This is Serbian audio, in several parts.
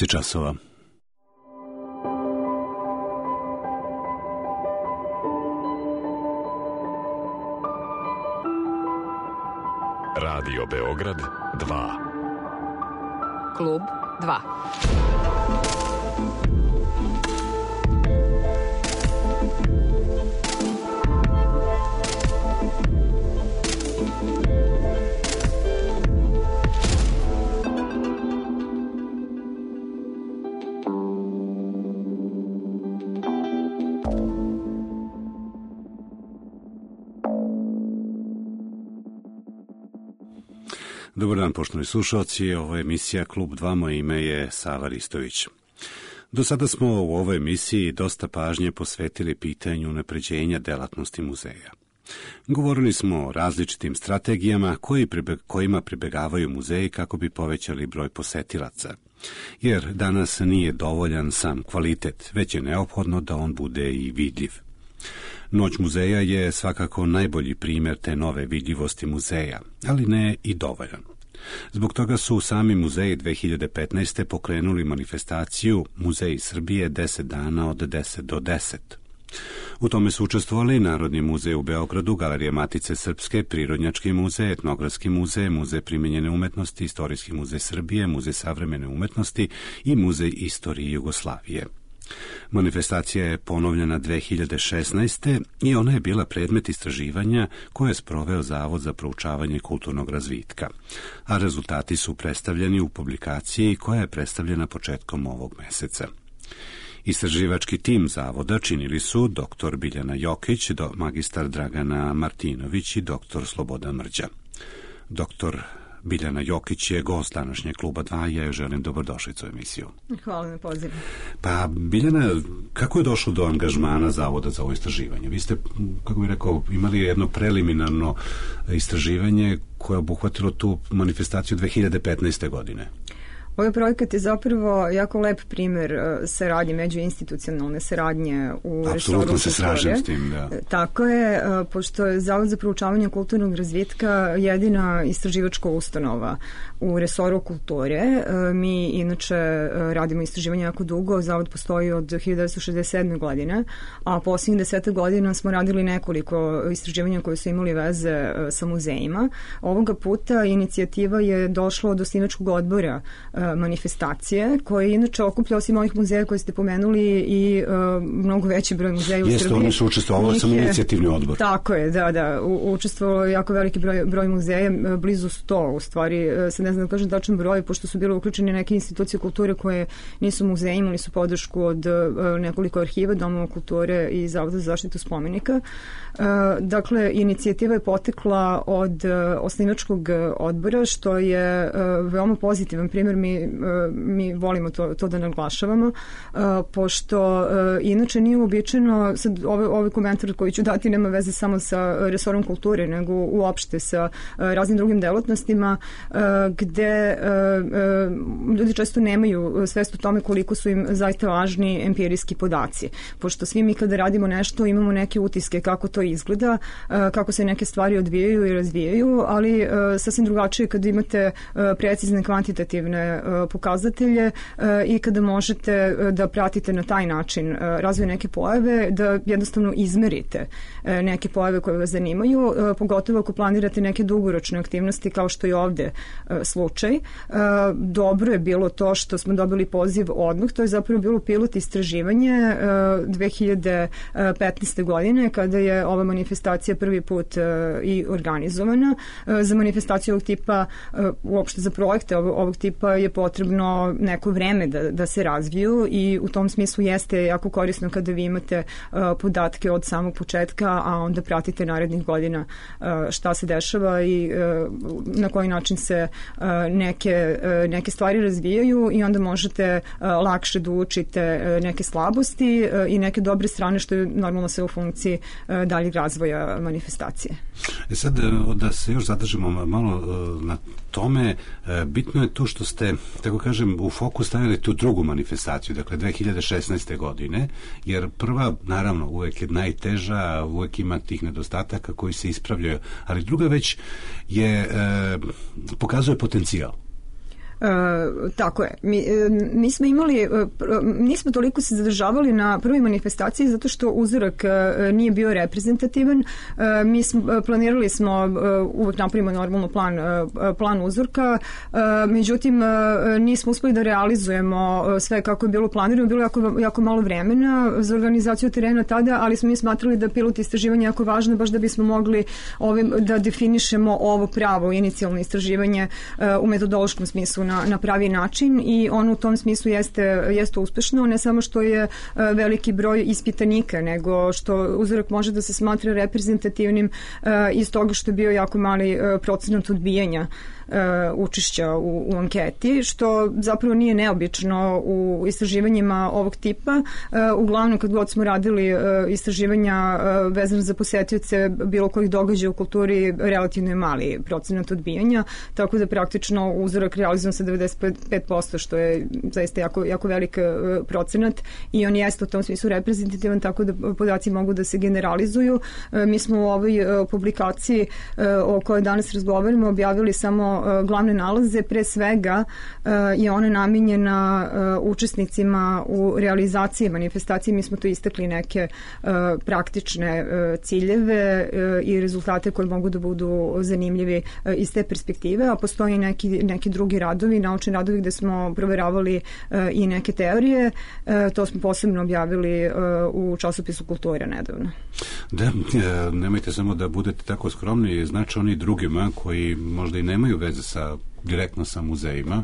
časova. Radio Beograd 2. Klub 2. Dobar dan, poštovani slušalci, ovo je emisija Klub 2, moje ime je Sava Ristović. Do sada smo u ovoj emisiji dosta pažnje posvetili pitanju unapređenja delatnosti muzeja. Govorili smo o različitim strategijama kojima pribegavaju muzeji kako bi povećali broj posetilaca. Jer danas nije dovoljan sam kvalitet, već je neophodno da on bude i vidljiv. Noć muzeja je svakako najbolji primjer te nove vidljivosti muzeja, ali ne i dovoljan. Zbog toga su sami muzeji 2015. pokrenuli manifestaciju Muzeji Srbije 10 dana od 10 do 10. U tome su učestvovali Narodni muzej u Beogradu, Galerija Matice Srpske, Prirodnjački muzej, Etnografski muzej, Muzej primenjene umetnosti, Istorijski muzej Srbije, Muzej savremene umetnosti i Muzej istorije Jugoslavije. Manifestacija je ponovljena 2016. i ona je bila predmet istraživanja koje je sproveo Zavod za proučavanje kulturnog razvitka, a rezultati su predstavljeni u publikaciji koja je predstavljena početkom ovog meseca. Istraživački tim Zavoda činili su dr. Biljana Jokić, magistar Dragana Martinović i dr. Slobodan Mrđa. Dr. Biljana Jokić je gost današnjeg Kluba 2 i ja joj želim dobrodošlicu u emisiju. Hvala na pozivu. Pa, Biljana, kako je došlo do angažmana Zavoda za ovo istraživanje? Vi ste, kako bih rekao, imali jedno preliminarno istraživanje koje je obuhvatilo tu manifestaciju 2015. godine. Ovaj projekat je zapravo jako lep primjer saradnje, međuinstitucionalne saradnje u resoru kulture. Apsolutno se slažem s tim, da. Tako je, pošto je Zavod za proučavanje kulturnog razvitka jedina istraživačka ustanova u resoru kulture. Mi inače radimo istraživanje jako dugo, Zavod postoji od 1967. godine, a posljednjih 10 godina smo radili nekoliko istraživanja koje su imali veze sa muzejima. Ovoga puta inicijativa je došla od osnivačkog odbora manifestacije, koje inače okuplja osim ovih muzeja koje ste pomenuli i mnogo veći broj muzeja u Srbiji. Jeste, oni su učestvovali sam inicijativni odbor. Tako je, da. Učestvovalo jako veliki broj muzeja, blizu 100 u stvari, sad ne znam da kažem tačan broj, pošto su bile uključene neke institucije kulture koje nisu muzeji, imali su podršku od nekoliko arhiva, domova kulture i Zavoda za zaštitu spomenika. Dakle, inicijativa je potekla od osnivačkog odbora, što je veoma pozitivan primjer. Mi volimo to da naglašavamo, pošto inače nije uobičajeno, sad ovaj komentar koji ću dati nema veze samo sa resorom kulture, nego uopšte sa raznim drugim delatnostima, gde ljudi često nemaju svest o tome koliko su im zaista važni empirijski podaci, pošto svi mi kada radimo nešto imamo neke utiske kako to izgleda, kako se neke stvari odvijaju i razvijaju, ali sasvim drugačije kada imate precizne kvantitativne pokazatelje i kada možete da pratite na taj način razvoj neke pojave, da jednostavno izmerite neke pojave koje vas zanimaju, pogotovo ako planirate neke dugoročne aktivnosti kao što je ovde slučaj. Dobro je bilo to što smo dobili poziv odmah, to je zapravo bilo pilot istraživanje 2015. godine kada je ova manifestacija prvi put i organizovana. Za manifestaciju ovog tipa, uopšte za projekte ovog tipa je potrebno neko vreme da se razviju i u tom smislu jeste jako korisno kada vi imate podatke od samog početka, a onda pratite narednih godina šta se dešava i na koji način se neke stvari razvijaju i onda možete lakše da učite neke slabosti i neke dobre strane, što je normalno sve u funkciji daljeg razvoja manifestacije. Sad da se još zadržimo malo na tome, bitno je to što ste, tako kažem, u fokus stavili tu drugu manifestaciju, dakle 2016. godine, jer prva, naravno, uvek je najteža, uvek ima tih nedostataka koji se ispravljaju, ali druga već je, pokazuje potencijal. Tako je. Mi smo imali, nismo toliko se zadržavali na prvoj manifestaciji zato što uzorak nije bio reprezentativan. Mi smo, planirali smo, uvek napravimo normalno plan uzorka, međutim nismo uspeli da realizujemo sve kako je bilo planirano. Bilo jako malo vremena za organizaciju terena tada, ali smo mi smatrali da pilot istraživanje je jako važno baš da bismo mogli da definišemo ovo pravo inicijalno istraživanje u metodološkom smislu na pravi način i ono u tom smislu jeste uspešno, ne samo što je veliki broj ispitanika, nego što uzorak može da se smatra reprezentativnim iz toga što je bio jako mali procenat odbijanja učešća u anketi, što zapravo nije neobično u istraživanjima ovog tipa. Uglavnom, kad god smo radili istraživanja vezano za posetioce bilo kojih događaja u kulturi, relativno je mali procenat odbijanja, tako da praktično uzorak realizovan sa 95%, što je zaista jako velik procenat i on jeste u tom smislu reprezentativan, tako da podaci mogu da se generalizuju. Mi smo u ovoj publikaciji o kojoj danas razgovaramo objavili samo glavne nalaze, pre svega je ona namenjena učesnicima u realizaciji manifestacije. Mi smo tu istakli neke praktične ciljeve i rezultate koji mogu da budu zanimljivi iz te perspektive, a postoji neki drugi radovi, naučni radovi gde smo proveravali i neke teorije. To smo posebno objavili u časopisu Kultura nedavno. Da, nemojte samo da budete tako skromni, znači oni drugima koji možda i nemaju veze direktno sa muzejima,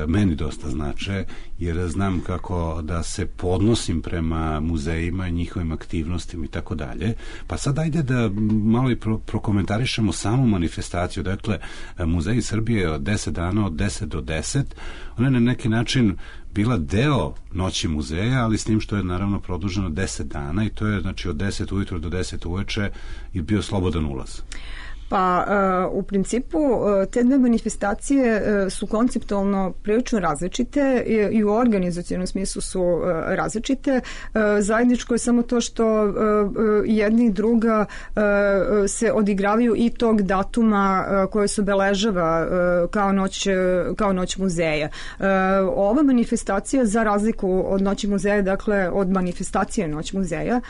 meni dosta znače, jer znam kako da se podnosim prema muzejima, njihovim aktivnostima i tako dalje. Pa sad ajde da malo i prokomentarišemo samu manifestaciju. Dakle, Muzeji Srbije od 10 dana, od 10 do 10, ona je na neki način bila deo Noći muzeja, ali s tim što je naravno produženo 10 dana i to je znači od 10 ujutro do 10 uveče i bio slobodan ulaz. Pa u principu te dve manifestacije su konceptualno prilično različite i u organizacionom smislu su različite. Zajedničko je samo to što jedna i druga se odigravaju i tog datuma koje se obeležava kao noć muzeja. Ova manifestacija, za razliku od Noći muzeja, dakle od manifestacije Noć muzeja,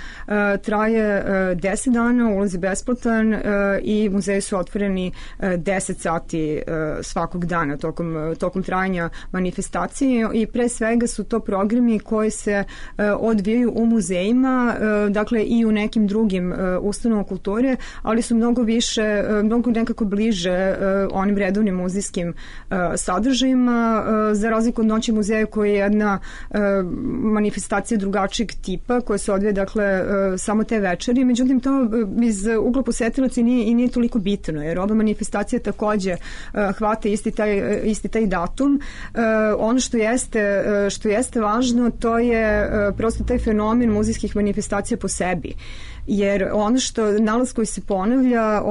traje 10 dana, ulaz je besplatan i muzeji su otvoreni 10 sati svakog dana tokom trajanja manifestacije i pre svega su to programi koji se odvijaju u muzejima, dakle i u nekim drugim ustanovama kulture, ali su mnogo nekako bliže onim redovnim muzejskim sadržajima, za razliku od Noći muzeja koji je jedna manifestacija drugačijeg tipa koja se odvija dakle samo te večeri, međutim to iz ugla posetilaca nije toliko bitno, jer ova manifestacija takođe hvata isti taj datum. Ono što jeste važno, to je prosto taj fenomen muzejskih manifestacija po sebi. Jer ono nalaz koji se ponavlja,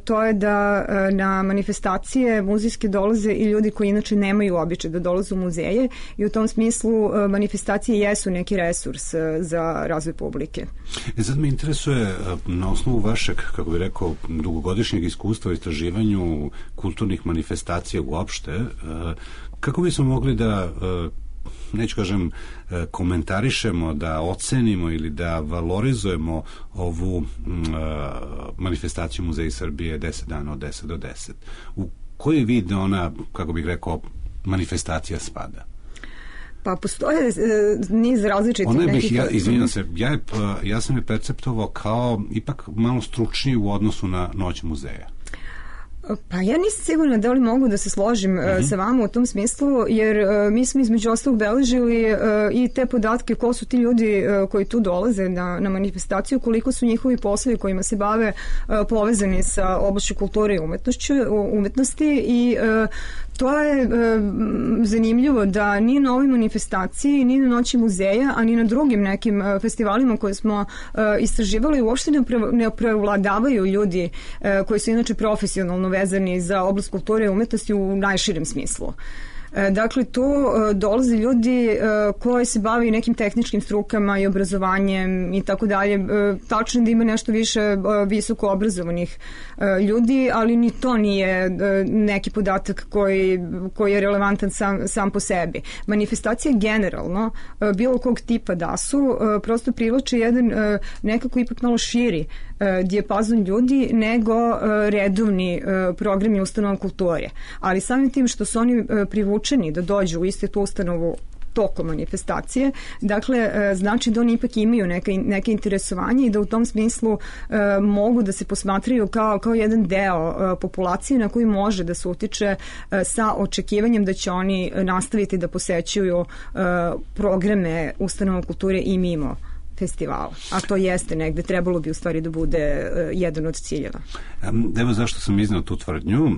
to je da na manifestacije muzejske dolaze i ljudi koji inače nemaju običaj da dolaze u muzeje i u tom smislu manifestacije jesu neki resurs za razvoj publike. Sad me interesuje, na osnovu vašeg, kako bih rekao, dugogodišnjeg iskustva u istraživanju kulturnih manifestacija uopšte, kako bismo mogli da neću kažem komentarišemo, da ocenimo ili da valorizujemo ovu manifestaciju Muzeja Srbije 10 dana od 10 do 10. U koji vid ona, kako bih rekao, manifestacija spada? Pa postoje niz različitih nekih... Izvinjam se, ja sam je perceptovao kao ipak malo stručniji u odnosu na Noć muzeja. Pa ja nisam sigurna da li mogu da se složim sa vama u tom smislu, jer mi smo između ostalog beležili i te podatke ko su ti ljudi koji tu dolaze na manifestaciju, koliko su njihovi poslovi kojima se bave povezani sa oblašću kulture i umetnosti i to je zanimljivo da ni na ovoj manifestaciji, ni na Noći muzeja, a ni na drugim nekim festivalima koje smo istraživali uopšte ne prevladavaju ljudi koji su inače profesionalno vezani za oblast kulture i umetnosti u najširem smislu. Dakle, tu dolaze ljudi koji se bavi nekim tehničkim strukama i obrazovanjem i tako dalje. Tačno da ima nešto više visoko obrazovanih ljudi, ali ni to nije neki podatak koji je relevantan sam po sebi. Manifestacije generalno, bilo kog tipa da su, prosto privlače jedan nekako ipak malo širi dijapazon ljudi nego redovni programi ustanova kulture. Ali samim tim što su oni privučeni da dođu u istu tu ustanovu tokom manifestacije, dakle, znači da oni ipak imaju neke interesovanje i da u tom smislu mogu da se posmatraju kao jedan deo populacije na koji može da se utiče sa očekivanjem da će oni nastaviti da posećuju programe ustanova kulture i mimo festivala. A to jeste negde, trebalo bi u stvari da bude jedan od ciljeva. Evo zašto sam iznao tu tvrdnju,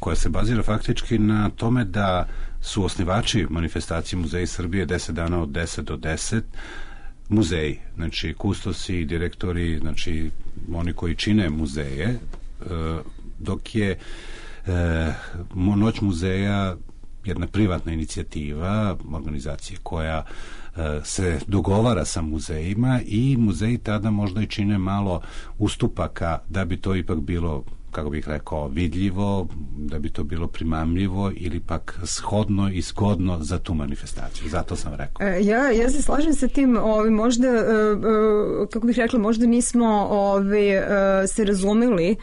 koja se bazira faktički na tome da su osnivači manifestacije Muzeji Srbije 10 dana od 10 do 10 muzeji, znači kustosi, direktori, znači oni koji čine muzeje, dok je Noć muzeja jedna privatna inicijativa, organizacija koja se dogovara sa muzejima i muzeji tada možda i čine malo ustupaka da bi to ipak bilo, kako bih rekao, vidljivo, da bi to bilo primamljivo ili pak shodno i zgodno za tu manifestaciju. Zato sam rekao. Ja se slažem sa tim, možda, kako bih rekla, možda nismo se razumeli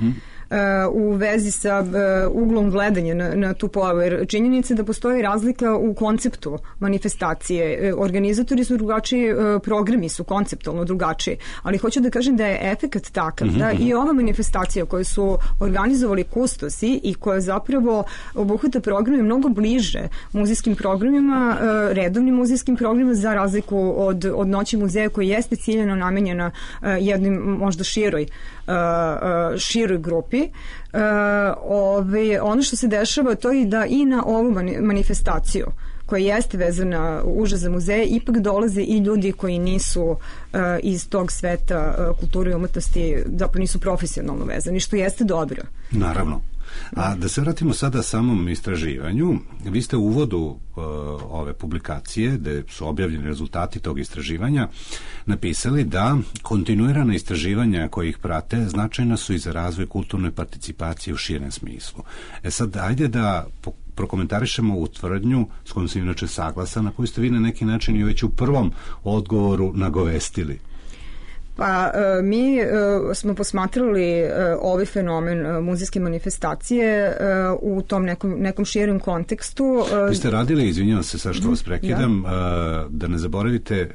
u vezi sa uglom gledanja na tu pojavu, jer činjenica da postoji razlika u konceptu manifestacije. Organizatori su drugačiji, programi su konceptualno drugačiji, ali hoću da kažem da je efekat takav, da i ova manifestacija koju su organizovali kustosi i koja zapravo obuhvata programe mnogo bliže muzejskim programima, redovnim muzejskim programima, za razliku od Noći muzeja koji jeste ciljeno namenjena jednim možda široj grupi. Ono što se dešava to je da i na ovu manifestaciju koja jeste vezana uže za muzeje, ipak dolaze i ljudi koji nisu iz tog sveta kulture i umetnosti, zapravo nisu profesionalno vezani, što jeste dobro. Naravno. A da se vratimo sada samom istraživanju, vi ste u uvodu ove publikacije, gde su objavljeni rezultati tog istraživanja, napisali da kontinuirana istraživanja koji ih prate značajna su i za razvoj kulturne participacije u širem smislu. Sad, ajde da prokomentarišemo u tvrdnju s kojom sam inače saglasan, na koju ste vi na neki način i već u prvom odgovoru nagovestili. Pa mi smo posmatrali ovaj fenomen muzejske manifestacije u tom nekom širom kontekstu. Vi ste radili, izvinjavam se sad što vas prekidam, da ne zaboravite,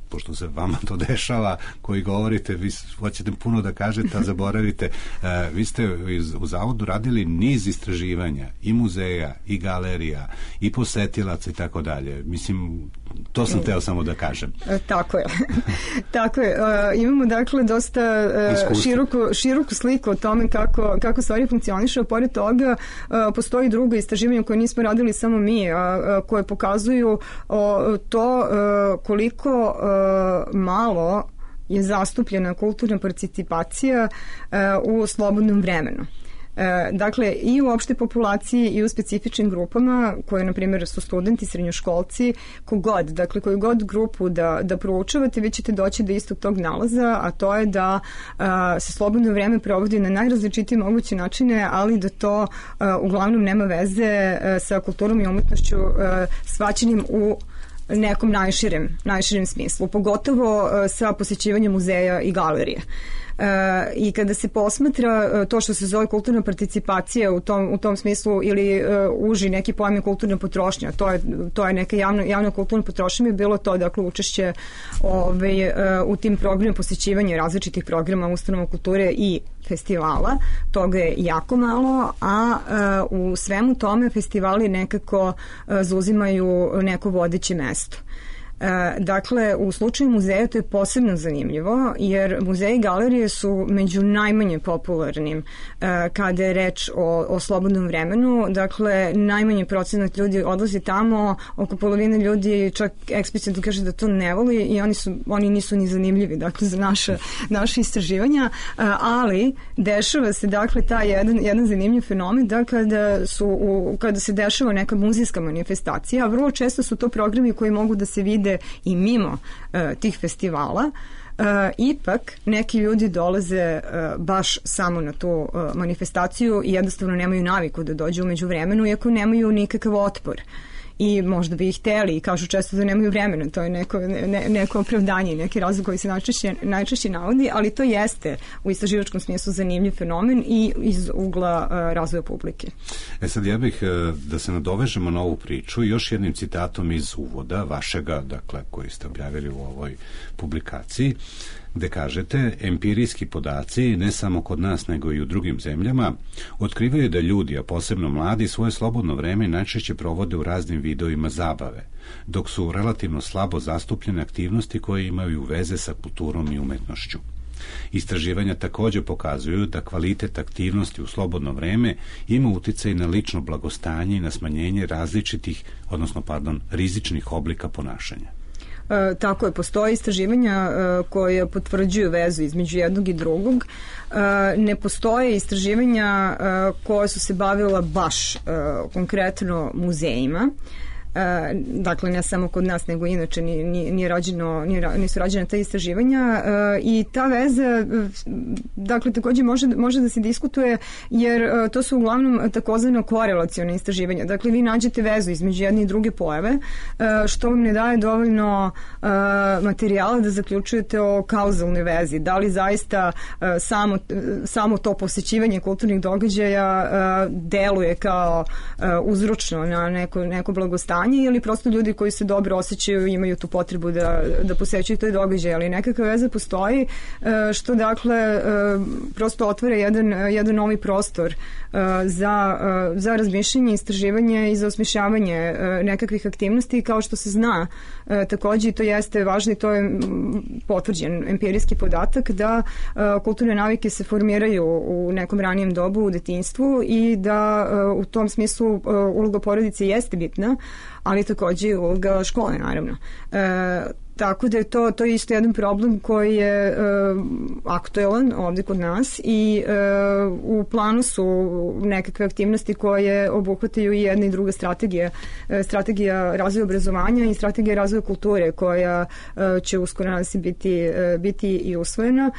pošto se vama to dešava, koji govorite, vi hoćete puno da kažete, a zaboravite. Vi ste u Zavodu radili niz istraživanja i muzeja, i galerija, i posetilaca i tako dalje. Mislim, to sam teo samo da kažem. Tako je. Tako je. Imamo dakle dosta široku sliku o tome kako stvari funkcioniše, a pored toga postoji drugo istraživanje koje nismo radili samo mi, koje pokazuju to koliko malo je zastupljena kulturna participacija u slobodnom vremenu. Dakle, i u opšte populaciji i u specifičnim grupama koje, na primjer, su studenti, srednjoškolci, koju god grupu da proučavate, vi ćete doći do istog tog nalaza, a to je da se slobodno vreme provodi na najrazličitije moguće načine, ali da to uglavnom nema veze sa kulturom i umetnošću shvaćenim u nekom najširem smislu, pogotovo sa posjećivanjem muzeja i galerije. I kada se posmatra to što se zove kulturna participacija u tom smislu ili uži neki pojam je kulturna potrošnja, to je neka javna kulturna potrošnja, je bilo to, dakle, učešće u tim programima, posjećivanje različitih programa ustanova kulture i festivala, toga je jako malo, a u svemu tome festivali nekako zauzimaju neko vodeće mesto. Dakle, u slučaju muzeja to je posebno zanimljivo, jer muzeji i galerije su među najmanje popularnim kada je reč o slobodnom vremenu. Dakle, najmanji procenat ljudi odlazi tamo, oko polovine ljudi čak eksplicitno kaže da to ne voli i oni nisu ni zanimljivi, dakle, za naše istraživanja, ali dešava se, dakle, taj jedan zanimljiv fenomen da kada se dešava neka muzejska manifestacija, a vrlo često su to programi koji mogu da se vide i mimo tih festivala, ipak neki ljudi dolaze baš samo na tu manifestaciju i jednostavno nemaju naviku da dođu umeđu vremenu, iako nemaju nikakav otpor. I možda bi ih hteli i kažu često da nemaju vremena, to je neko opravdanje, neki razlog koji se najčešće navodi, ali to jeste u istraživačkom smislu zanimljiv fenomen i iz ugla razvoja publike. Sad ja bih da se nadovežemo na ovu priču još jednim citatom iz uvoda vašega, dakle, koji ste objavili u ovoj publikaciji, gde kažete, empirijski podaci, ne samo kod nas nego i u drugim zemljama, otkrivaju da ljudi, a posebno mladi, svoje slobodno vreme najčešće provode u raznim vidovima zabave, dok su relativno slabo zastupljene aktivnosti koje imaju veze sa kulturom i umetnošću. Istraživanja takođe pokazuju da kvalitet aktivnosti u slobodno vreme ima uticaj na lično blagostanje i na smanjenje rizičnih oblika ponašanja. Tako je, postoje istraživanja koje potvrđuju vezu između jednog i drugog. Ne postoje istraživanja koja su se bavila baš konkretno muzejima. Dakle, ne samo kod nas, nego inače nisu rađene ta istraživanja i ta veza, dakle, takođe može da se diskutuje, jer to su uglavnom takozvano korelacione istraživanja. Dakle, vi nađete vezu između jedne i druge pojave, što vam ne daje dovoljno materijala da zaključujete o kauzalnoj vezi. Da li zaista samo to posećivanje kulturnih događaja deluje kao uzročno na neko blagostanje, ili prosto ljudi koji se dobro osjećaju imaju tu potrebu da posećuju toj događaj, ali nekakva veza postoji, što dakle prosto otvara jedan novi prostor za razmišljanje, istraživanje i za osmišljavanje nekakvih aktivnosti, kao što se zna takođe, i to jeste važno i to je potvrđen empirijski podatak da kulturne navike se formiraju u nekom ranijem dobu u detinjstvu i da u tom smislu uloga porodice jeste bitna, ali takođe i uloga škole, naravno. Tako da je to isto jedan problem koji je aktuelan ovde kod nas i u planu su nekakve aktivnosti koje obuhvataju i jedna i druga strategija razvoja obrazovanja i strategija razvoja kulture koja će uskoro nadam se biti i usvojena.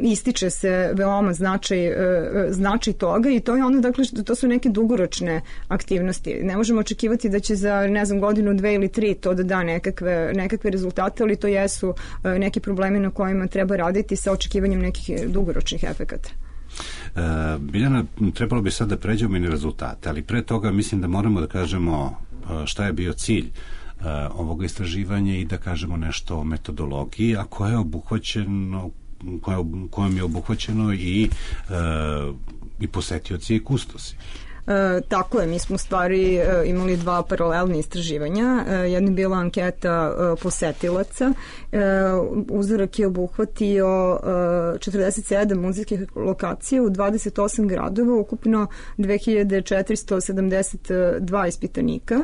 Ističe se veoma značaj toga i to je ono, dakle, to su neke dugoročne aktivnosti. Ne možemo očekivati da će za, godinu, 2 ili 3 to da da nekakve rezultate, ali to jesu neki problemi na kojima treba raditi sa očekivanjem nekih dugoročnih efekata. Biljana, trebalo bi sad da pređemo i na rezultate, ali pre toga mislim da moramo da kažemo šta je bio cilj ovog istraživanja i da kažemo nešto o metodologiji, a koje je obuhvaćeno kojom je obuhvaćeno i posetioci i kustosi. Tako je, mi smo u stvari imali 2 paralelne istraživanja. Jedna je bila anketa posetilaca. Uzorak je obuhvatio 47 muzejskih lokacija u 28 gradova, ukupno 2472 ispitanika.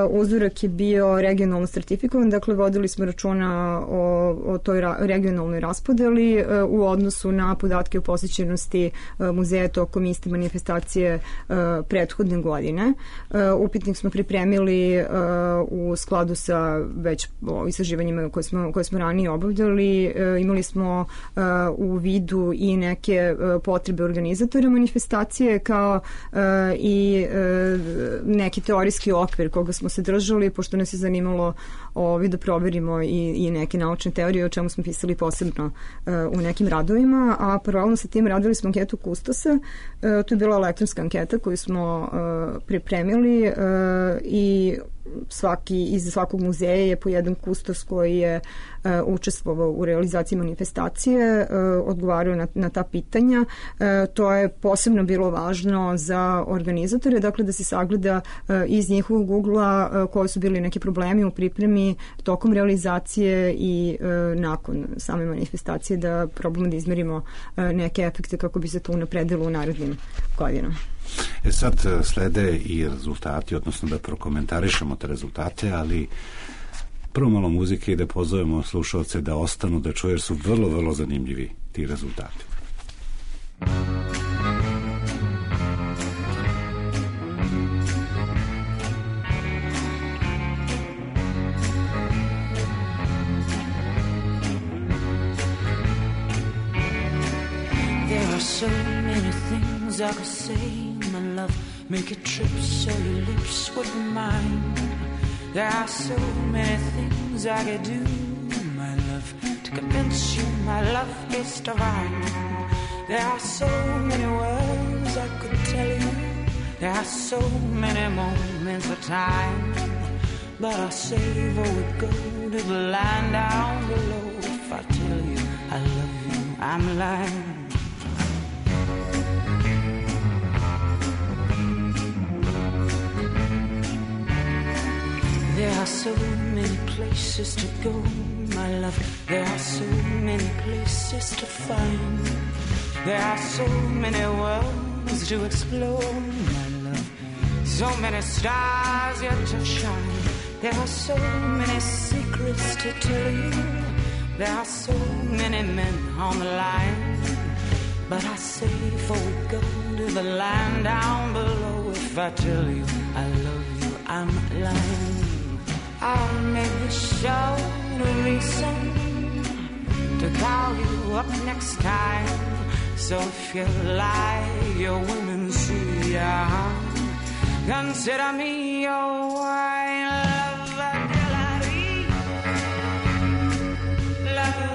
Uzorak je bio regionalno sertifikovan, dakle vodili smo računa o toj regionalnoj raspodeli u odnosu na podatke o posjećenosti muzeja tokom iste manifestacije prethodne godine. Upitnik smo pripremili u skladu sa već istraživanjima koje smo ranije obavljali. Imali smo u vidu i neke potrebe organizatora manifestacije kao i neki teorijski okvir koga smo se držali, pošto nas je zanimalo da proverimo i neke naučne teorije o čemu smo pisali posebno u nekim radovima, a paralelno sa tim radili smo anketu kustosa. To je bila elektronska anketa koju smo pripremili i iza svakog muzeja je po jedan kustos koji je učestvovao u realizaciji manifestacije, odgovarao na ta pitanja. To je posebno bilo važno za organizatore, dakle da se sagleda iz njihovog ugla koji su bili neki problemi u pripremi tokom realizacije i nakon same manifestacije, da probamo da izmerimo neke efekte kako bi se to unapredilo u narednim godinama. Sad slede i rezultati, odnosno da prokomentarišemo te rezultate, ali prvo malo muzike i da pozovemo slušalce da ostanu da čuju, jer su vrlo, vrlo zanimljivi ti rezultati. There are so many things I could say, my love, make a trip so your lips would be mine. There are so many things I could do, my love, to convince you my love is divine. There are so many words I could tell you, there are so many moments of time, but I'll save or would go to the line down below. If I tell you I love you, I'm lying. There are so many places to go, my love. There are so many places to find. There are so many worlds to explore, my love. So many stars yet to shine. There are so many secrets to tell you. There are so many men on the line, but I say before we go to the line down below, if I tell you I love you, I'm lying. I'll maybe show a reason to call you up next time. So if you lie, your women see ya. Consider me your wine lover, Delary. Lover.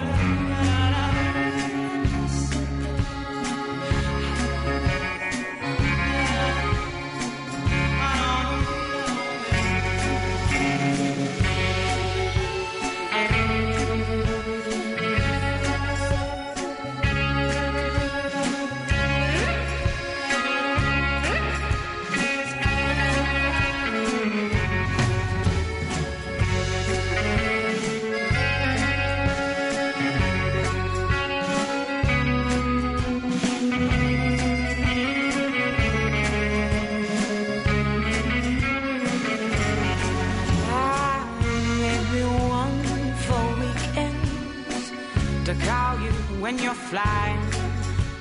When you're flying,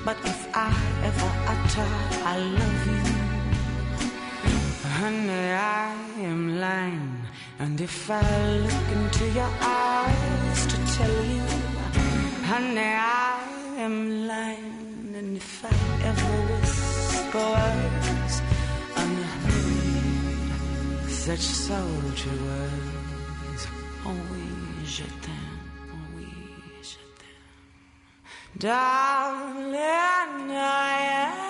but if I ever utter I love you, honey, I am lying. And if I look into your eyes to tell you, honey, I am lying. And if I ever whisper words unheard, such sultry words, oh oui, je t'aime. Darling, I am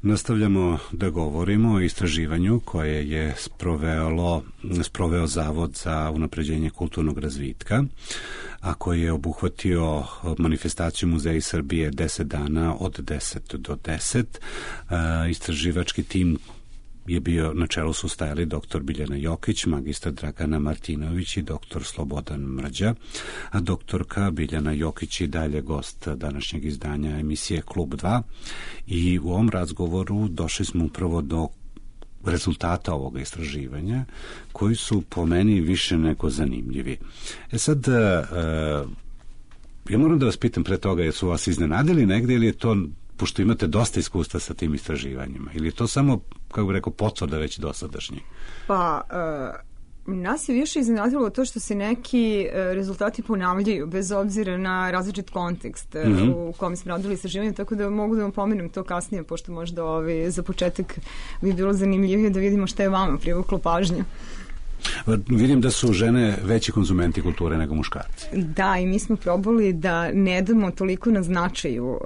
Nastavljamo da govorimo o istraživanju koje je sproveo Zavod za unapređenje kulturnog razvitka, a koji je obuhvatio manifestaciju Muzeja Srbije 10 dana od 10 do 10. Istraživački tim je bio, na čelu su stajali dr. Biljana Jokić, magistar Dragana Martinović i dr. Slobodan Mrđa, a doktorka Biljana Jokić i dalje gost današnjeg izdanja emisije Klub 2, i u ovom razgovoru došli smo upravo do rezultata ovoga istraživanja, koji su po meni više nego zanimljivi. Sad, ja moram da vas pitam pre toga, jesu vas iznenadili negde ili je to pošto imate dosta iskustva sa tim istraživanjima, ili je to samo, kako bih rekao, potvrda već dosadašnji? Pa, nas je više iznenadilo to što se neki rezultati ponavljaju bez obzira na različit kontekst u kom smo radili istraživanje, tako da mogu da vam pomenem to kasnije, pošto možda za početak bi bilo zanimljivije da vidimo šta je vama privuklo pažnju. Vidim da su žene veći konzumenti kulture nego muškarci. Da, i mi smo probali da ne damo toliko na značaju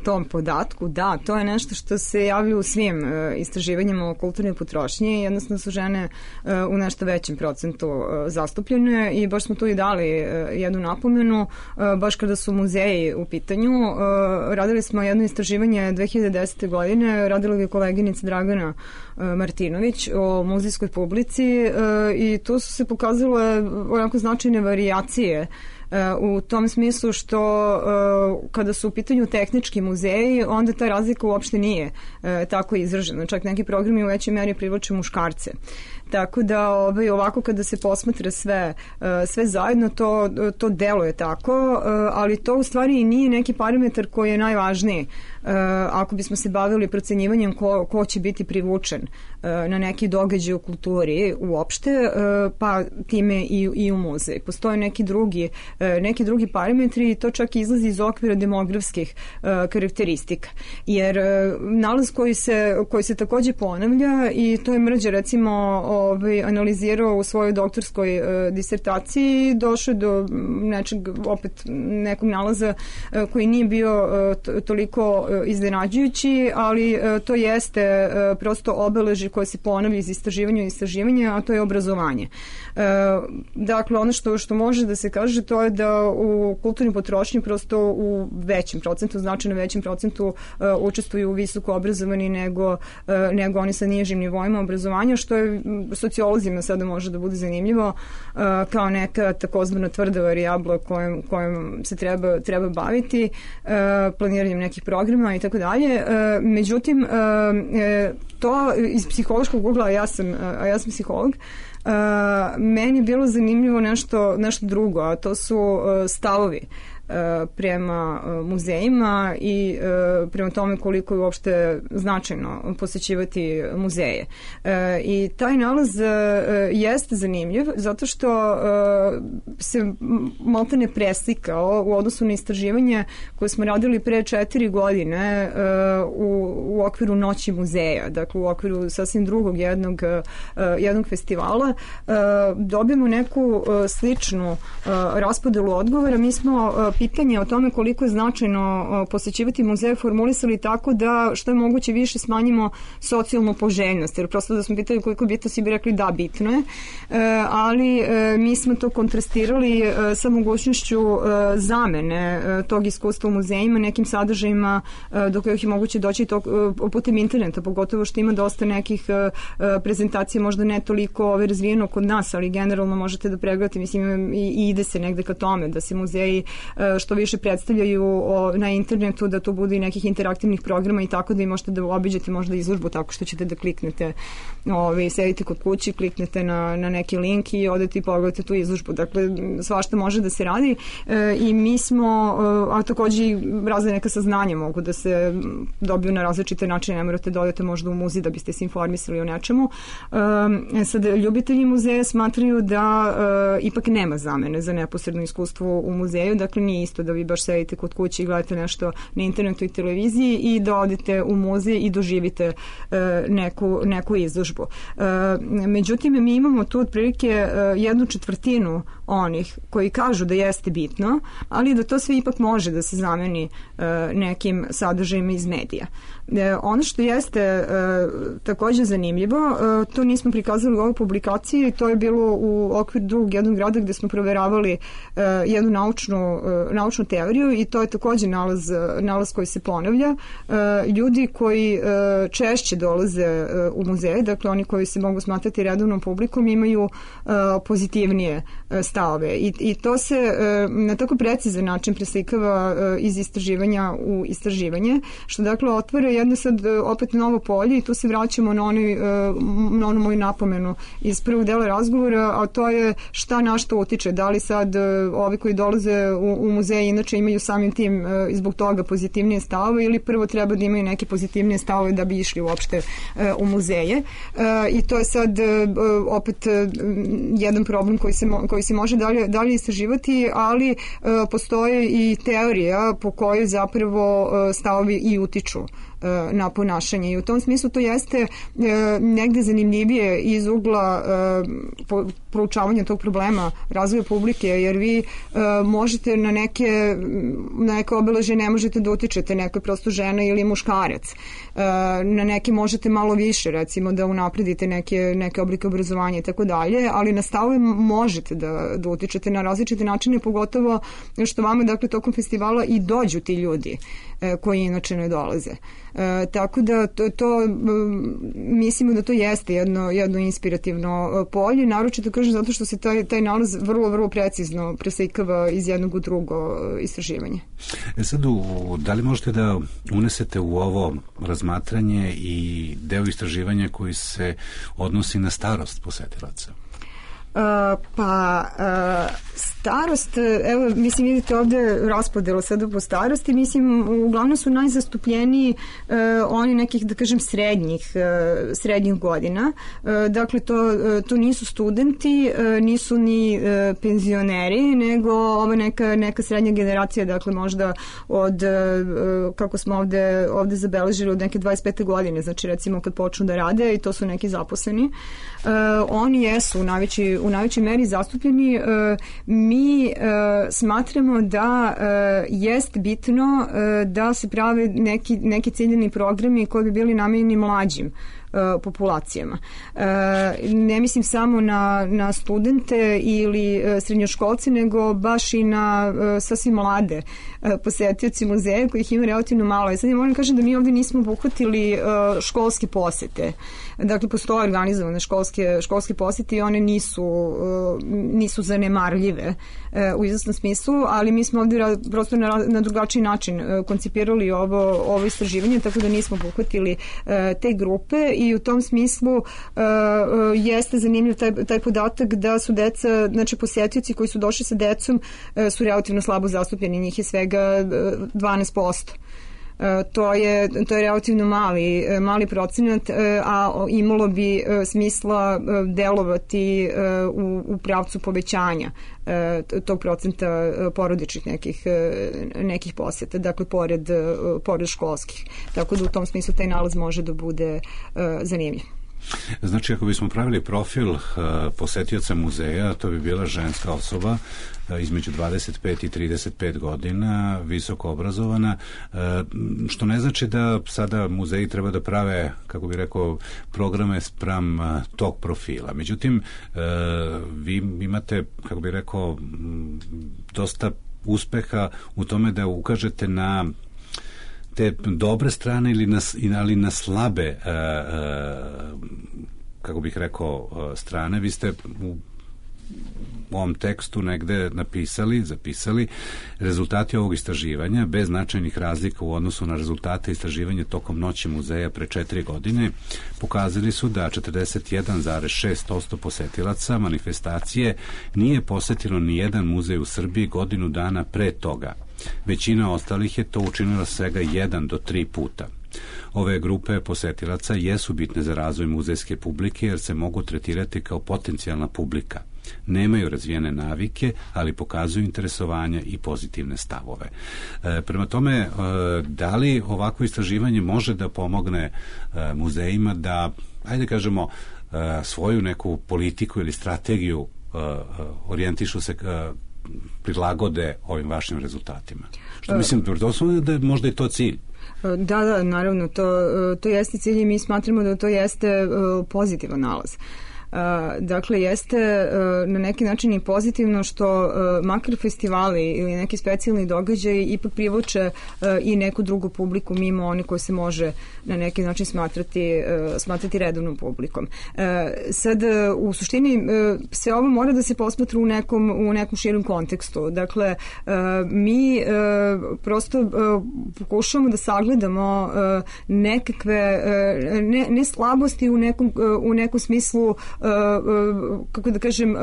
tom podatku. Da, to je nešto što se javlja u svim istraživanjima o kulturnoj potrošnji. Jednostavno su žene u nešto većem procentu zastupljene i baš smo tu i dali jednu napomenu. Baš kada su muzeji u pitanju, radili smo jedno istraživanje 2010. godine, radila je koleginica Dragana Martinović o muzejskoj publici i tu su se pokazale onako značajne varijacije u tom smislu što kada su u pitanju tehnički muzeji, onda ta razlika uopšte nije tako izražena. Čak neki programi u većoj meri privlače muškarce. Tako da ovako kada se posmatra sve zajedno, to deluje tako, ali to u stvari i nije neki parametar koji je najvažniji. Ako bismo se bavili procenjivanjem ko će biti privučen na neki događaj u kulturi uopšte, pa time i u muzej. Postoje neki drugi parametri i to čak izlazi iz okvira demografskih karakteristika. Jer nalaz koji se takođe ponavlja, i to je Mrđa recimo analizirao u svojoj doktorskoj disertaciji i došao do nekog nalaza koji nije bio toliko iznenađujući, ali to jeste prosto obeležje koje se ponavlja iz istraživanja i istraživanja, a to je obrazovanje. Dakle, ono što može da se kaže, to je da u kulturnoj potrošnji prosto u većem procentu, značajno većem procentu učestvuju visoko obrazovani nego oni sa nižim nivoima obrazovanja, što je sociolozima sada može da bude zanimljivo kao neka takozvana tvrda varijabla kojom se treba baviti, planiranjem nekih programa i tako dalje. Međutim, to iz psihološkog ugla, a ja sam psiholog, meni je bilo zanimljivo nešto drugo, a to su stavovi prema muzejima i prema tome koliko je uopšte značajno posećivati muzeje. I taj nalaz jeste zanimljiv zato što se maltene preslikao u odnosu na istraživanje koje smo radili pre 4 godine u okviru Noći muzeja, dakle u okviru sasvim drugog jednog festivala. Dobijemo neku sličnu raspodelu odgovora. Mi smo pitanje o tome koliko je značajno posećivati muzeje formulisali tako da što je moguće više smanjimo socijalnu poželjnost, jer prosto da smo pitali koliko je bitno, svi bi rekli da, bitno je, ali mi smo to kontrastirali sa mogućnošću zamene tog iskustva u muzejima nekim sadržajima do kojih je moguće doći putem interneta, pogotovo što ima dosta nekih prezentacija, možda ne toliko razvijeno kod nas, ali generalno možete da pregledate, mislim, i ide se negde ka tome da se muzeji što više predstavljaju na internetu, da to bude i nekih interaktivnih programa i tako da i možete da obiđete možda izložbu tako što ćete da kliknete, sedite kod kući, kliknete na neki link i odete i pogledate tu izložbu. Dakle, svašta može da se radi i mi smo, a takođe i razne neka saznanja mogu da se dobiju na različite načine, ne morate da odete možda u muzej da biste se informisali o nečemu. Sad, ljubitelji muzeja smatraju da ipak nema zamene za neposredno iskustvo u muzeju, dakle nije isto da vi baš sedite kod kuće i gledate nešto na internetu i televiziji i da odete u muzej i doživite neku izložbu. Međutim, mi imamo tu otprilike 1/4 onih koji kažu da jeste bitno, ali da to sve ipak može da se zameni nekim sadržajima iz medija. Ono što jeste takođe zanimljivo, to nismo prikazali u ovoj publikaciji, to je bilo u okviru drugog jednog grada gde smo proveravali jednu naučnu teoriju i to je takođe nalaz koji se ponavlja. Ljudi koji češće dolaze u muzeje, dakle oni koji se mogu smatrati redovnom publikom, imaju pozitivnije stavove stavove i to se na tako precizan način preslikava iz istraživanja u istraživanje, što dakle otvara jedno sad opet novo polje i tu se vraćamo na onu moju napomenu iz prvog dela razgovora, a to je šta na što utiče, da li sad ovi koji dolaze u muzeje inače imaju samim tim i zbog toga pozitivnije stavove ili prvo treba da imaju neke pozitivnije stavove da bi išli uopšte u muzeje i to je sad opet jedan problem koji se može dalje istraživati, ali postoje i teorija po kojoj zapravo stavovi i utiču na ponašanje i u tom smislu to jeste negde zanimljivije iz ugla proučavanja tog problema razvoja publike, jer vi možete na neke obeležje ne možete da utičete, neko je prosto žena ili muškarac, na neke možete malo više, recimo da unapredite neke oblike obrazovanja i tako dalje, ali na stavove možete da utičete na različite načine, pogotovo što vama dakle tokom festivala i dođu ti ljudi koji inače ne dolaze. Tako da to mislimo da to jeste jedno inspirativno polje, naročito kažem zato što se taj nalaz vrlo precizno preslikava iz jednog u drugo istraživanje. Sad, da li možete da unesete u ovo razmatranje i deo istraživanja koji se odnosi na starost posetilaca? Starost, evo, mislim, vidite ovde raspodelu sada po starosti, mislim, uglavnom su najzastupljeniji oni nekih, da kažem, srednjih godina. Dakle, to nisu studenti, nisu ni penzioneri, nego ova neka srednja generacija, dakle, možda od, kako smo ovde zabeležili, od neke 25. godine, znači, recimo, kad počnu da rade i to su neki zaposleni. Oni jesu u najvećoj meri zastupljeni. Mi smatramo da jest bitno da se prave neki ciljani programi koji bi bili namenjeni mlađim populacijama. Ne mislim samo na studente ili srednjoškolce, nego baš i na sasvim mlade posetioci muzeja kojih ima relativno malo. Sad ja moram kažem da mi ovde nismo obuhvatili školske posete. Dakle, postoje organizovane školske posete i one nisu zanemarljive u izvesnom smislu, ali mi smo ovde prosto na drugačiji način koncipirali ovo istraživanje, tako da nismo obuhvatili te grupe i u tom smislu jeste zanimljiv taj podatak da su deca, znači posetioci koji su došli sa decom su relativno slabo zastupljeni, njih je svega 12%. To je relativno mali procenat, a imalo bi smisla delovati u pravcu povećanja tog procenta porodičnih nekih poseta, dakle pored školskih. Tako da u tom smislu taj nalaz može da bude zanimljiv. Znači, ako bismo pravili profil posetioca muzeja, to bi bila ženska osoba između 25 i 35 godina, visoko obrazovana, što ne znači da sada muzeji treba da prave, kako bih rekao, programe spram tog profila. Međutim, vi imate, kako bih rekao, dosta uspeha u tome da ukažete na te dobre strane ali na slabe kako bih rekao strane. Vi ste u ovom tekstu negde zapisali rezultati ovog istraživanja bez značajnih razlika u odnosu na rezultate istraživanja tokom noći muzeja pre 4 godine pokazali su da 41,6% posetilaca manifestacije nije posetilo ni jedan muzej u Srbiji godinu dana pre toga. Većina ostalih je to učinila svega 1 do 3 puta. Ove grupe posetilaca jesu bitne za razvoj muzejske publike jer se mogu tretirati kao potencijalna publika. Nemaju razvijene navike, ali pokazuju interesovanje i pozitivne stavove. Prema tome, da li ovako istraživanje može da pomogne muzejima da, ajde kažemo, svoju neku politiku ili strategiju orijentišu se prilagode ovim vašim rezultatima? Što mislim, da je možda i to cilj. Da, naravno, to jeste cilj i mi smatramo da to jeste pozitivan nalaz. Dakle, jeste na neki način i pozitivno što makar festivali ili neki specijalni događaj ipak privuče i neku drugu publiku mimo oni koji se može na neki način smatrati redovnom publikom. Sad, u suštini, sve ovo mora da se posmatra u nekom širom kontekstu. Dakle, mi prosto pokušavamo da sagledamo nekakve, ne slabosti u nekom smislu, kako da kažem,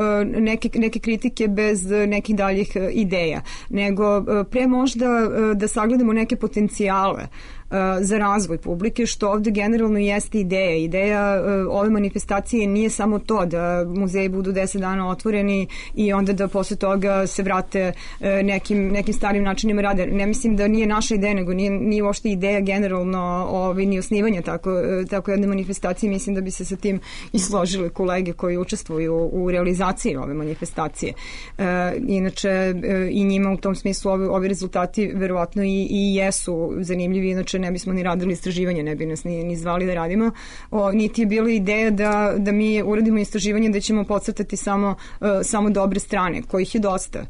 neke kritike bez nekih daljih ideja, nego pre možda da sagledamo neke potencijale za razvoj publike, što ovde generalno jeste ideja. Ideja ove manifestacije nije samo to da muzeji budu 10 dana otvoreni i onda da posle toga se vrate nekim starim načinima rada. Ne mislim da nije naša ideja, nego nije uopšte ideja generalno ni osnivanja tako jedne manifestacije. Mislim da bi se sa tim i složili kolege koji učestvuju u realizaciji ove manifestacije. Inače, i njima u tom smislu ovi rezultati verovatno i jesu zanimljivi, inače ne bismo ni radili istraživanje, ne bi nas ni zvali da radimo. Niti je bila ideja da mi uradimo istraživanje da ćemo podcrtati samo dobre strane, kojih je dosta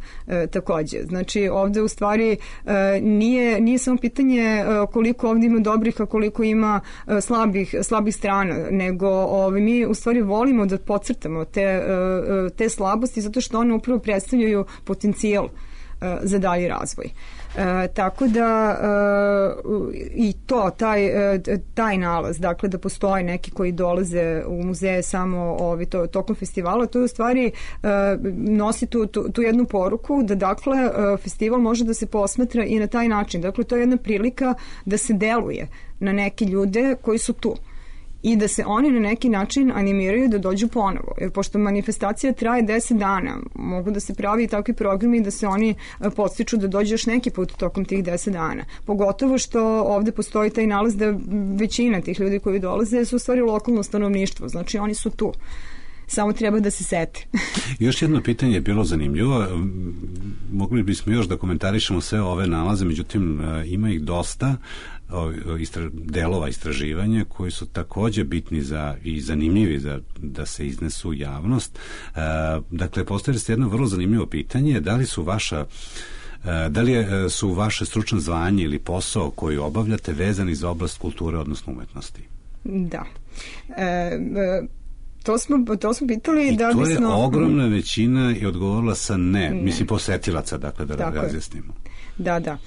takođe. Znači, ovde u stvari nije samo pitanje koliko ovde ima dobrih, a koliko ima slabih strana, nego mi u stvari volimo da podcrtamo te slabosti zato što one upravo predstavljaju potencijal za dalji razvoj. Tako da i taj nalaz, dakle da postoje neki koji dolaze u muzeje samo tokom festivala, to je u stvari nosi tu jednu poruku da dakle festival može da se posmatra i na taj način. Dakle, to je jedna prilika da se deluje na neke ljude koji su tu i da se oni na neki način animiraju da dođu ponovo. Jer pošto manifestacija traje 10 dana, mogu da se pravi i takvi programi da se oni podstiču da dođu još neki put tokom tih 10 dana. Pogotovo što ovde postoji taj nalaz da većina tih ljudi koji dolaze su u stvari lokalno stanovništvo. Znači oni su tu. Samo treba da se sete. Još jedno pitanje je bilo zanimljivo. Mogli bismo još da komentarišemo sve ove nalaze, međutim ima ih dosta delova istraživanja koji su takođe bitni i zanimljivi da se iznesu u javnost. Dakle, postavili ste jedno vrlo zanimljivo pitanje. Da li su vaše stručno zvanje ili posao koji obavljate vezani za oblast kulture, odnosno umetnosti? Da. To smo pitali da bismo... I to je ogromna većina i odgovorila sa ne. Mislim, posetilaca, dakle, da razjasnimo. Da.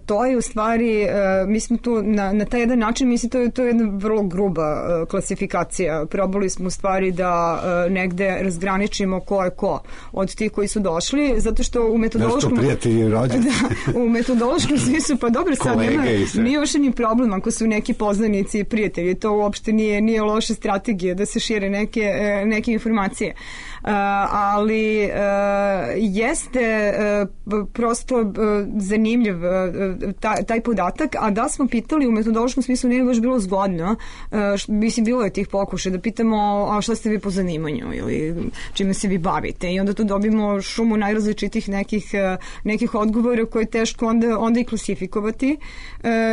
To je u stvari, mi smo tu na taj jedan način, mislim, to je jedna vrlo gruba klasifikacija. Probali smo u stvari da negde razgraničimo ko je ko od tih koji su došli, zato što u metodološkom... Da što prijatelji rođeni. Da, u metodološkom smislu, pa dobro, sad nije uopšte ni problem ako su neki poznanici i prijatelji. To uopšte nije loša strategija da se šire neke informacije. Ali jeste prosto zanimljiv taj podatak, a da smo pitali u metodološkom smislu nije baš bilo zgodno, mislim bilo je tih pokušaja da pitamo a šta ste vi po zanimanju ili čime se vi bavite i onda tu dobimo šumu najrazličitih nekih odgovora koje je teško onda i klasifikovati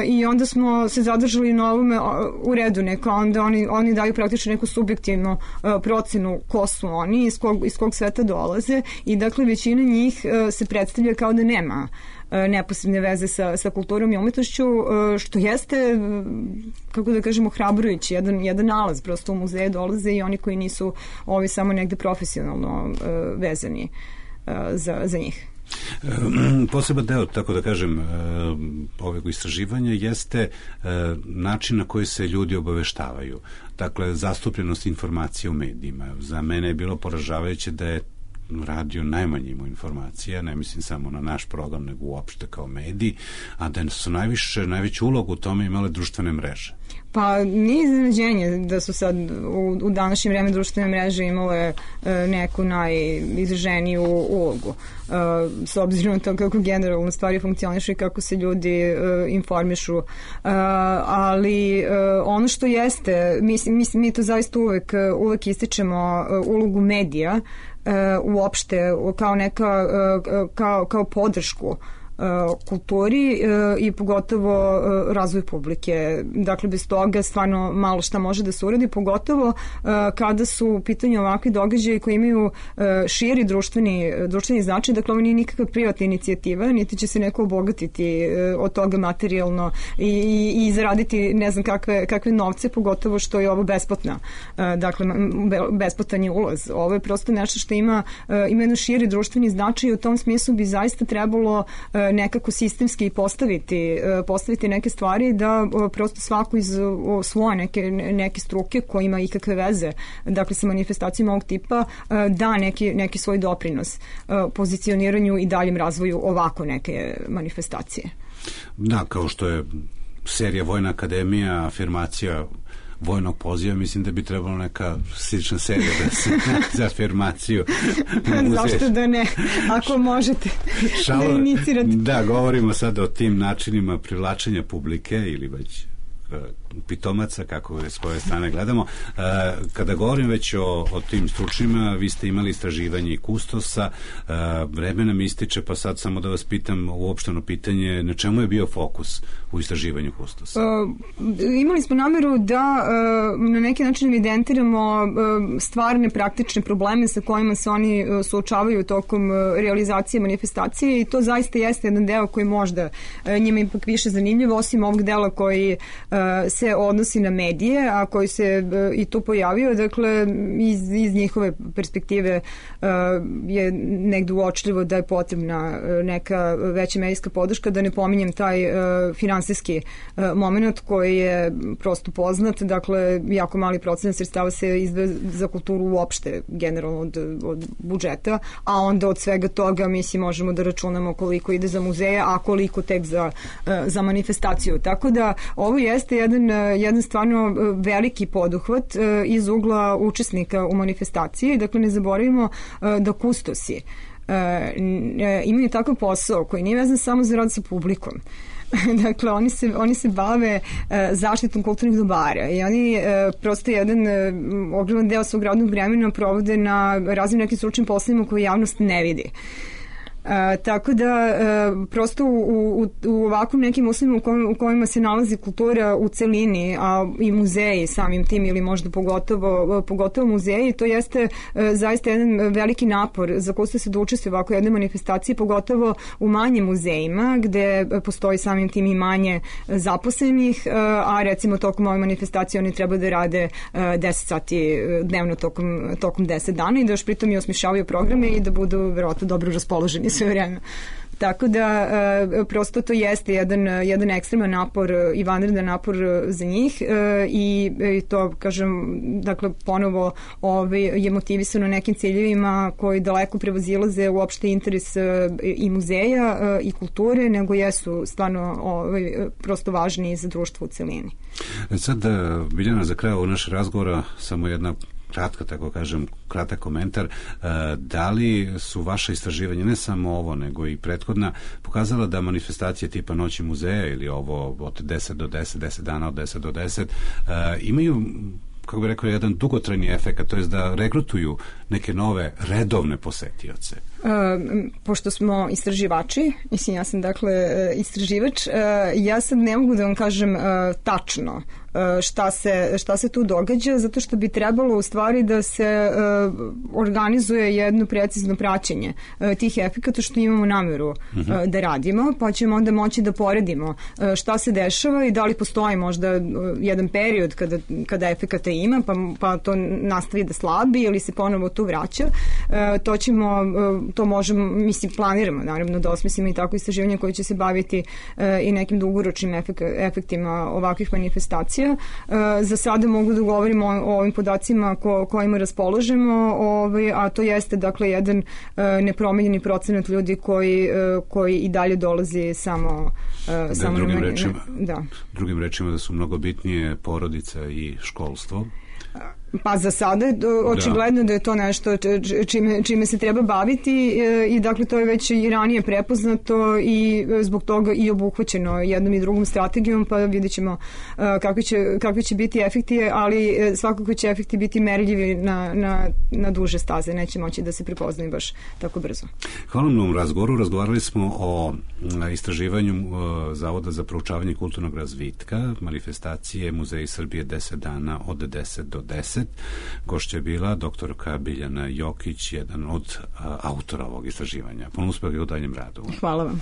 i onda smo se zadržali na ovome u redu neka, onda oni daju praktično neku subjektivnu procenu ko su oni, iz kog sveta dolaze i dakle većina njih se predstavlja kao da nema neposredne veze sa kulturom i umetnošću, što jeste, kako da kažemo, hrabrujući, jedan nalaz, prosto u muzeje dolaze i oni koji nisu samo negde profesionalno vezani za njih. Poseban deo, tako da kažem, ovog istraživanja jeste način na koji se ljudi obaveštavaju. Dakle, zastupljenost informacija u medijima. Za mene je bilo poražavajuće da je radio najmanje imao informacija, ne mislim samo na naš program, nego uopšte kao mediji, a da su najveću ulogu u tome imale društvene mreže. Pa nije iznenađenje da su sad u današnje vreme društvene mreže imale neku najizraženiju ulogu. S obzirom na to kako generalno stvari funkcionišu i kako se ljudi informišu. Ali ono što jeste, mi to zaista uvek ističemo ulogu medija uopšte kao podršku kulturi i pogotovo razvoju publike. Dakle, bez toga stvarno malo šta može da se uradi, pogotovo kada su u pitanju ovakvi događaji koji imaju širi društveni značaj. Dakle, ovo nije nikakva privatna inicijativa, niti će se neko obogatiti od toga materijalno i zaraditi ne znam kakve novce, pogotovo što je ovo besplatna. Dakle, besplatan je ulaz. Ovo je prosto nešto što ima jedan širi društveni značaj i u tom smislu bi zaista trebalo nekako sistemski postaviti neke stvari da prosto svako iz svoje neke struke koji ima ikakve veze, dakle sa manifestacijama ovog tipa, da neki svoj doprinos pozicioniranju i daljem razvoju ovako neke manifestacije. Da, kao što je serija Vojna akademija, afirmacija vojnog poziva, mislim da bi trebalo neka slična serija da se za afirmaciju. Zašto da ne? Ako možete da inicirate. Da, govorimo sada o tim načinima privlačenja publike ili već pitomaca, kako s koje strane gledamo. Kada govorim već o tim stručnjima, vi ste imali istraživanje i kustosa, vreme nam ističe, pa sad samo da vas pitam uopšteno pitanje, na čemu je bio fokus u istraživanju kustosa? Imali smo nameru da na neki način evidentiramo stvarne praktične probleme sa kojima se oni suočavaju tokom realizacije manifestacije i to zaista jeste jedan deo koji možda njima ipak više zanimljiv, osim ovog dela koji se odnosi na medije, a koji se i tu pojavio, dakle iz njihove perspektive je negde uočljivo da je potrebna neka veća medijska podrška, da ne pominjem taj finansijski moment koji je prosto poznat, dakle jako mali procenat sredstava se izdvaja za kulturu uopšte generalno od budžeta, a onda od svega toga mislim možemo da računamo koliko ide za muzeje, a koliko tek za manifestaciju. Tako da ovo jeste jedan stvarno veliki poduhvat iz ugla učesnika u manifestaciji. Dakle, ne zaboravimo da kustosi imaju takav posao koji nije vezan samo za rad sa publikom. Dakle, oni se bave zaštitom kulturnih dobara i oni prosto jedan ogroman deo svog radnog vremena provode na raznim nekim stručnim poslovima koje javnost ne vidi. Tako da prosto u ovakvim nekim uslovima u kojima se nalazi kultura u celini, a i muzeji samim tim ili možda pogotovo muzeji, to jeste zaista jedan veliki napor za koji se da učestvuje ovako jedne manifestacije, pogotovo u manjim muzejima gde postoji samim tim i manje zaposlenih, a recimo tokom ove manifestacije oni treba da rade 10 sati dnevno tokom 10 dana i da još pritom i osmišljavaju programe i da budu verovatno dobro raspoloženi sve vreme. Tako da prosto to jeste jedan ekstreman napor i vanredan napor za njih i to kažem, dakle ponovo je motivisano nekim ciljevima koji daleko prevazilaze uopšte interes i muzeja i kulture, nego jesu stvarno prosto važni za društvo u celini. Sad, Biljana, za kraj ovog našeg razgovora samo jedna kratka, tako kažem, kratak komentar. Da li su vaše istraživanje, ne samo ovo, nego i prethodna, pokazala da manifestacije tipa Noći muzeja ili ovo od 10 do 10, 10 dana od 10 do 10, imaju, kako bih rekao, jedan dugotrajni efekt, to je da regrutuju neke nove redovne posetioce? Pošto smo istraživači, mislim ja sam dakle istraživač, ja sad ne mogu da vam kažem tačno šta se tu događa, zato što bi trebalo u stvari da se organizuje jedno precizno praćenje tih efekata što imamo nameru da radimo, pa ćemo onda moći da poredimo šta se dešava i da li postoji možda jedan period kada efekata ima, pa to nastavi da slabi ili se ponovo tu vraća. To možemo, mislim, planiramo naravno da osmislimo i tako istraživanje koje će se baviti i nekim dugoročnim efektima ovakvih manifestacija. Za sada mogu da govorimo o ovim podacima kojima raspolažemo, a to jeste dakle jedan nepromenjeni procenat ljudi koji i dalje dolazi samo drugim rečima da su mnogo bitnije porodica i školstvo. Pa za sada očigledno da je to nešto čime se treba baviti i dakle to je već i ranije prepoznato i zbog toga i obuhvaćeno jednom i drugom strategijom, pa vidjet ćemo kakvi će biti efekti, ali svakako će efekti biti merljivi na duže staze, neće moći da se prepoznaju baš tako brzo. Hvala na ovom razgovoru. Razgovarali smo o istraživanju Zavoda za proučavanje kulturnog razvitka, manifestacije Muzeji Srbije 10 dana od 10 do 10. Gošća je bila doktorka Biljana Jokić, jedan od autora ovog istraživanja. Puno uspeha u daljem radu. Hvala vam.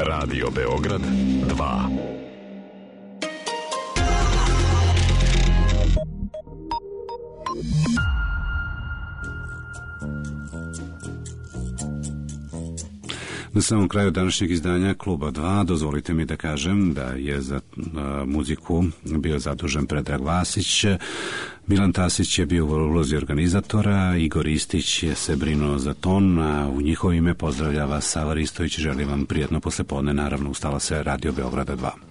Radio Beograd 2. Na samom kraju današnjeg izdanja Kluba 2 dozvolite mi da kažem da je za muziku bio zadužen Predrag Vasić, Milan Tasić je bio u ulozi organizatora, Igor Istić je se brinuo za ton, a u njihovo ime pozdravlja vas Sava Ristović i želim vam prijatno poslepodne, naravno ustala se Radio Beograda 2.